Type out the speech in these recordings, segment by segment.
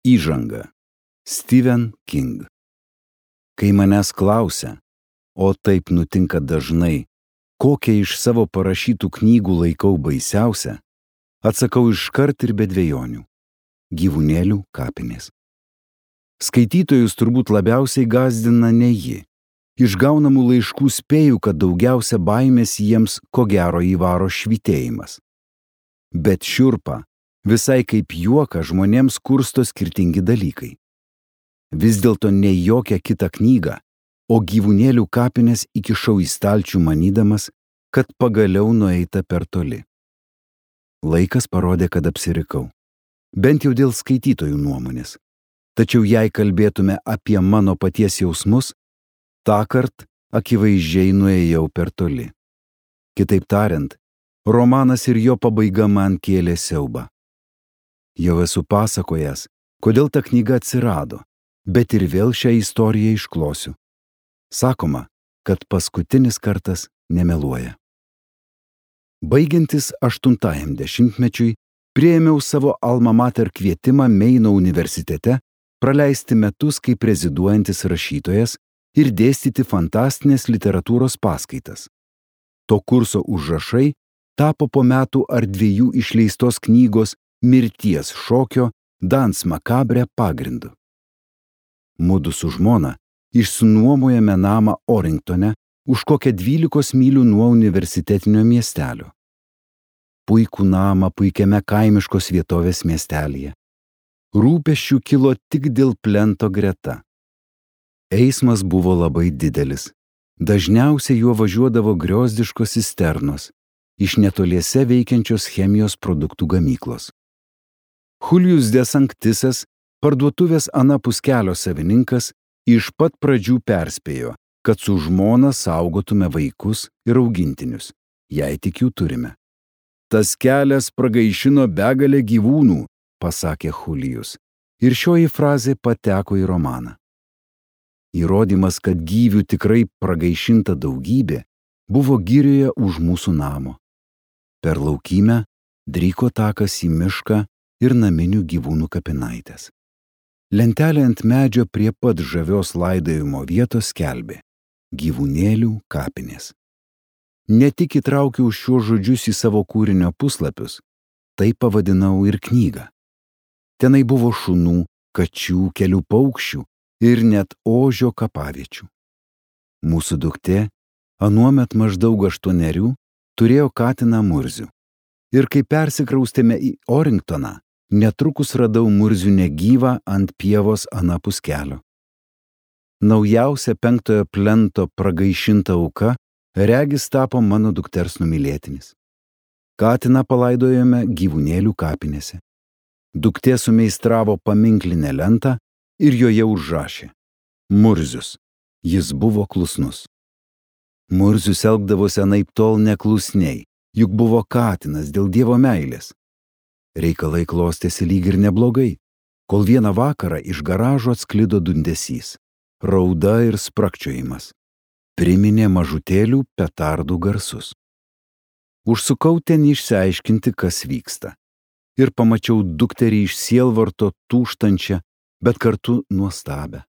Įžanga. Stephen King. Kai manęs klausia, o taip nutinka dažnai, kokią iš savo parašytų knygų laikau baisiausia, atsakau iškart ir be dvejonių – Gyvūnėlių kapinės. Skaitytojus turbūt labiausiai gąsdina ne ji. Iš gaunamų laiškų spėju, kad daugiausia baimės jiems ko gero įvaro švytėjimas. Bet šiurpa, visai kaip juoka, žmonėms kursto skirtingi dalykai. Vis dėlto ne jokią kitą knygą, o Gyvūnėlių kapinės įkišau į stalčių manydamas, kad pagaliau nueita per toli. Laikas parodė, kad apsirikau. Bent jau dėl skaitytojų nuomonės. Tačiau jei kalbėtume apie mano paties jausmus, tąkart akivaizdžiai nuėjau per toli. Kitaip tariant, romanas ir jo pabaiga man kėlė siaubą. Jau esu pasakojęs, kodėl ta knyga atsirado, bet ir vėl šią istoriją išklosiu. Sakoma, kad paskutinis kartas nemeluoja. Baigiantis 8 dešimtmečiui, priėmiau savo alma mater kvietimą Meino universitete praleisti metus kaip reziduojantis rašytojas ir dėstyti fantastinės literatūros paskaitas. To kurso užrašai tapo po metų ar 2 išleistos knygos Mirties šokio Dans Macabre pagrindu. Mudu su žmona išsinuomojame namą Oringtone už kokią 12 mylių nuo universitetinio miestelio. Puikų namą puikiame kaimiškos vietovės miestelyje. Rūpesčių kilo tik dėl plento greta. Eismas buvo labai didelis. Dažniausiai juo važiuodavo griozdiškos cisternos iš netoliese veikiančios chemijos produktų gamyklos. Julius de Sanctisas, parduotuvės anapus kelio savininkas, iš pat pradžių perspėjo, kad su žmona saugotume vaikus ir augintinius, jei tik jų turime. Tas kelias pragaišino begalę gyvūnų, pasakė Julius, ir šioji frazė pateko į romaną. Įrodymas, kad gyvių tikrai pragaišinta daugybė, buvo girioje už mūsų namo. Per laukymę dryko takas į mišką ir naminių gyvūnų kapinaitės. Lentelė ant medžio prie pat žavios laidojimo vietos skelbė Gyvūnėlių kapinės. Ne tik įtraukiau šiuos žodžius į savo kūrinio puslapius, tai pavadinau ir knygą. Tenai buvo šunų, kačių, kelių paukščių ir net ožio kapaviečių. Mūsų duktė, anuomet maždaug 8, turėjo katiną Murzių. Ir kai persikraustėme į Oringtoną, netrukus radau Murzių negyvą ant pievos anapus kelio. Naujausia 5 plento pragaišinta auka regis tapo mano dukters numylėtinis. Katiną palaidojome Gyvūnėlių kapinėse. Duktė sumeistravo paminklinę lentą ir joje užrašė Murzius. Jis buvo klusnus. Murzius elgdavosi anaiptol neklusniai, juk buvo katinas dėl Dievo meilės. Reikalai klostėsi lyg ir neblogai, kol vieną vakarą iš garažo atsklido dundesys, rauda ir sprakčiojimas. Priminė mažutėlių petardų garsus. Užsukau ten išsiaiškinti, kas vyksta. Ir pamačiau dukterį iš sielvarto tūžtančią, bet kartu nuostabę.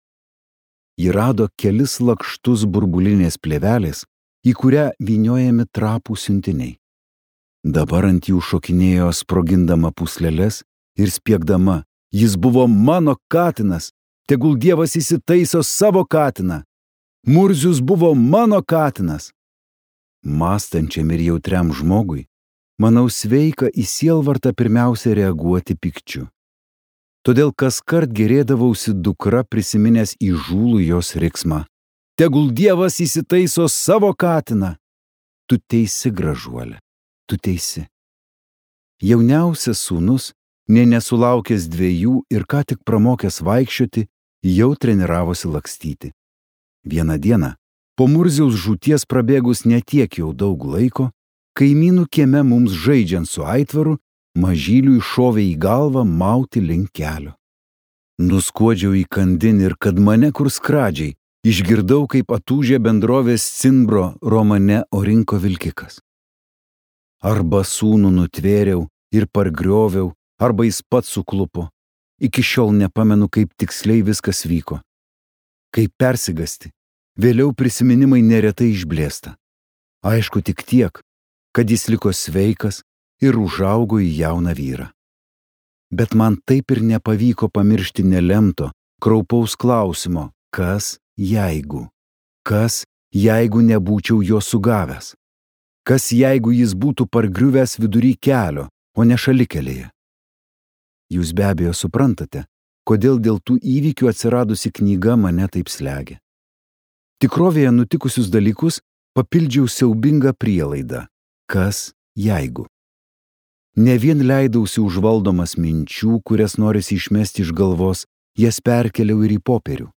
Ji rado kelis lakštus burbulinės plėvelės, į kurią vyniojami trapų siuntiniai. Dabar ant jų šokinėjo sprogindama pūsleles ir spiegdama, jis buvo mano katinas, tegul Dievas įsitaiso savo katiną. Murzius buvo mano katinas. Mąstančiam ir jautriam žmogui, manau sveika į sielvartą pirmiausia reaguoti pykčiu. Todėl kaskart gerėdavausi dukra prisiminęs įžūlų jos riksmą. Tegul Dievas įsitaiso savo katiną. Tu teisi, gražuolė, tu teisi. Jauniausias sūnus, nė nesulaukęs 2 ir ką tik pramokęs vaikščioti, jau treniravosi lakstyti. Vieną dieną, po Murziaus žūties prabėgus netiek jau daug laiko, kaimynų kieme mums žaidžiant su aitvaru, mažyliui šovė į galvą mauti link kelio. Nuskuodžiau į kandin ir kad mane kur skradžiai, išgirdau, kaip atūžė bendrovės Cimbro romane Orinko vilkikas. Arba sūnų nutvėriau ir pargrioviau, arba jis pats suklupo. Iki šiol nepamenu, kaip tiksliai viskas vyko. Kaip persigasti, vėliau prisiminimai neretai išblėsta. Aišku tik tiek, kad jis liko sveikas ir užaugo į jauną vyrą. Bet man taip ir nepavyko pamiršti nelemto, kraupaus klausimo, kas jeigu? Kas jeigu nebūčiau jo sugavęs? Kas jeigu jis būtų pargriuvęs vidury kelio, o ne šalikelėje? Jūs be abejo suprantate, kodėl dėl tų įvykių atsiradusi knyga mane taip slegia. Tikrovėje nutikusius dalykus papildžiau siaubingą prielaidą. Kas jeigu? Ne vien leidausi užvaldomas minčių, kurias norisi išmesti iš galvos, jas perkeliau ir į popierių.